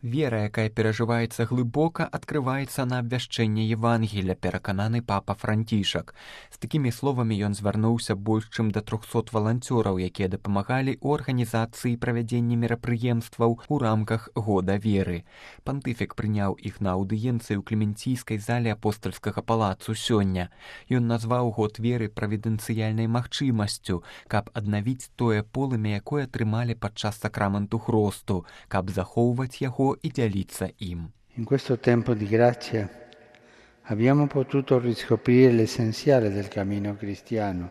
Вера, якая перажываецца глыбока, адкрываецца на абвяшчэнне Евангелля, перакананы папа Францішак. З такімі словамі ён звярнуўся больш чым да 300 валанцёраў, якія дапамагалі ў арганізацыі правядзення мерапрыемстваў у рамках года веры. Пантыфік прыняў іх на аўдыенцыі ў клементійскай зале апостальскага палацу сёння. Ён назваў год веры правідэнцыяльнай магчымасцю, каб аднавіць тое полымя, якое атрымалі падчас сакраменту хросту, каб захоўваць яго і дзяліцца ім. In questo tempo di grazia abbiamo potuto riscoprire l'essenziale del cammino cristiano.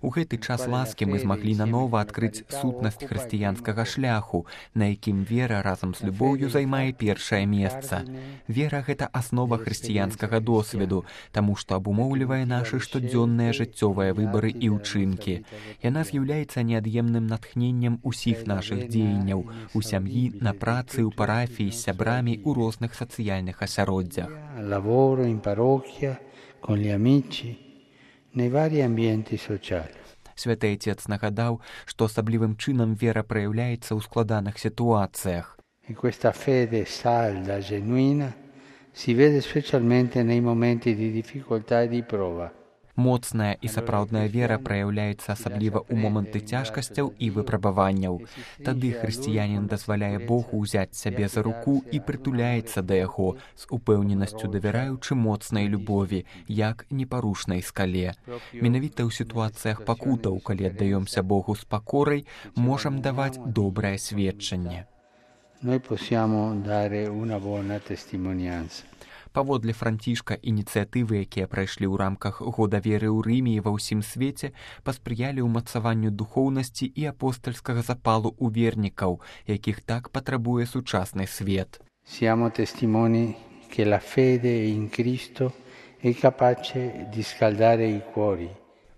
У гэты час ласкі мы змаглі нанова адкрыць сутнасць хрысціянскага шляху, на якім вера разам з любоўю займае першае месца. Вера – гэта аснова хрысціянскага досведу, таму што абумоўлівае нашы штодзённыя жыццёвыя выбары і ўчынкі. Яна з'яўляецца неад'емным натхненнем усіх нашых дзеянняў, у сям'і, на працы, у парафіі, з сябрамі, у розных сацыяльных асяроддзях. Lavoro, in parrocchia, con gli amici. Святы Отец нагадаў, што асаблівым чынам вера праяўляецца ў складаных сітуацыях. І questa fede salda, genuina, si vede specialmente nei momenti di difficoltà e di prova. Моцная і сапраўдная вера праяўляецца асабліва ў моманты цяжкасцяў і выпрабаванняў. Тады хрысціянін дазваляе Богу ўзяць сябе за руку і прытуляецца да яго, з упэўненасцю давяраючы моцнай любові, як непарушнай скале. Менавіта ў сітуацыях пакутаў, калі аддаёмся Богу з пакорай, можам даваць добрае сведчанне. Noi possiamo dare una buona testimonianza. Паводле Францішка, ініцыятывы, якія прайшлі ў рамках года веры ў Рыме і ва ўсім свеце, паспрыялі ўмацаванню духоўнасці і апостальскага запалу ў вернікаў, якіх так патрабуе сучасны свет. Siamo testimoni che la fede in Cristo è capace di scaldare i cuori.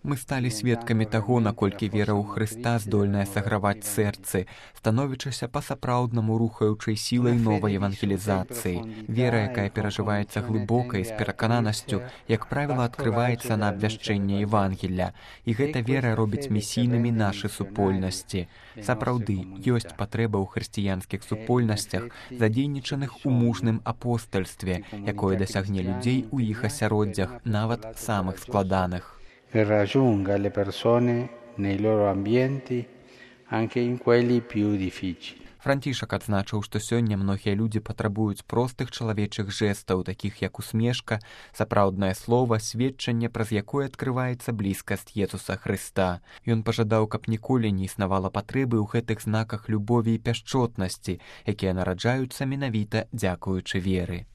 Мы сталі сведкамі таго, наколькі вера ў Хрыста здольная саграваць сэрцы, становячыся па-сапраўднаму рухаючай сілай новай евангелізацыі. Вера, якая перажываецца глыбока і з перакананасцю, як правіла, адкрываецца на абвяшчэнне Евангелля. І гэта вера робіць місійнымі нашы супольнасці. Сапраўды, ёсць патрэба ў хрысціянскіх супольнасцях, задзейнічаных у мужным апостальстве, якое дасягне людзей у іх асяроддзях, нават самых складаных. Che raggiunga le persone nei loro ambienti, anche in quelli più difficili. Францішак адзначыў, што сёння многія людзі патрабуюць простых чалавечых жэстаў, такіх як усмешка, сапраўднае слова, сведчанне, праз якое адкрываецца блізкасць Езуса Хрыста. Ён пажадаў, каб ніколі не існавала патрэбы ў гэтых знаках любові і пяшчотнасці, якія нараджаюцца менавіта дзякуючы веры.